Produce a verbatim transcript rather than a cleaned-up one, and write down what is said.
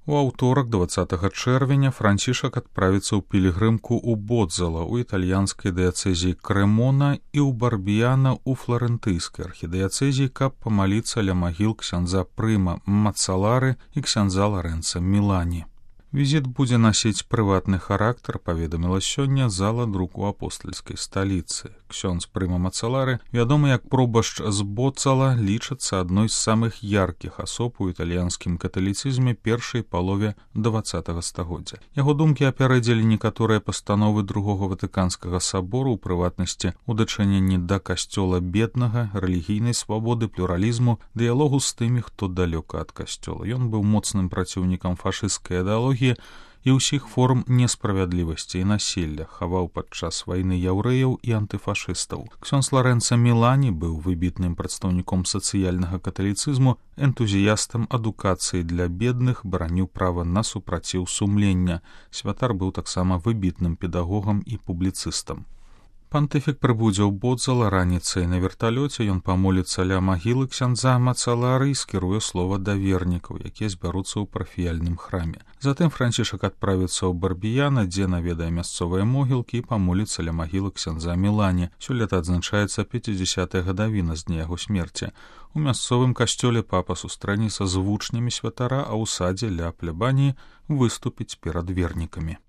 У аўторак дваццатага чэрвеня Францішак адправіцца ў пілігрымку ў Бодзала ў італьянскай дыяцэзіі Крэмона і ў Барбіяна ў фларэнтыйскай архідыяцэзіі, каб памаліцца ля магіл ксяндза Прыма Мацалары і ксяндза Ларэнца Мілані. Візіт будзе насіць прыватны характар, паведаміла сёння зала друку апостальскай сталіцы. Ксёндз Прыма Мацалары, вядомы як пробашч з Бодзала, лічацца адной з самых яркіх асоб у італьянскім каталіцызме першай палове дваццатага стагоддзя. Яго думкі апярэдзілі некаторыя пастановы другога ватыканскага сабору, у прыватнасці у дачыненні да касцёла беднага, рэлігійнай свабоды, плюралізму, дыялогу з тымі, хто далёка ад касцёла. Ён быў моцным праціўнікам фашысцкай ідэалогіі і ўсіх форм несправядлівасці і насілля, хаваў падчас вайны яўрэяў і антыфашыстаў. Ксёндз Ларэнца Мілані быў выбітным прадстаўніком сацыяльнага каталіцызму, энтузіястам адукацыі для бедных, бараніў права на супраціў сумлення. Святар быў таксама выбітным педагогам і публіцыстам. Пантыфік прыбудзе ў Бодзала раніцай на верталёце, ён памоліцца ля магілы ксяндза Мацалары і скіруе слова да вернікаў, якія збяруцца ў парафіяльным храме. Затым Францішак адправіцца ў Барбіяна, дзе наведае мясцовыя могілкі і памоліцца ля магілы ксяндза Мілані. Сёлета адзначаецца пяцідзясятая гадавіна з дня яго смерці. У мясцовым касцёле папа сустрэнецца з вучнямі святара, а ў садзе ля плябаніі выступіць перад вернікамі.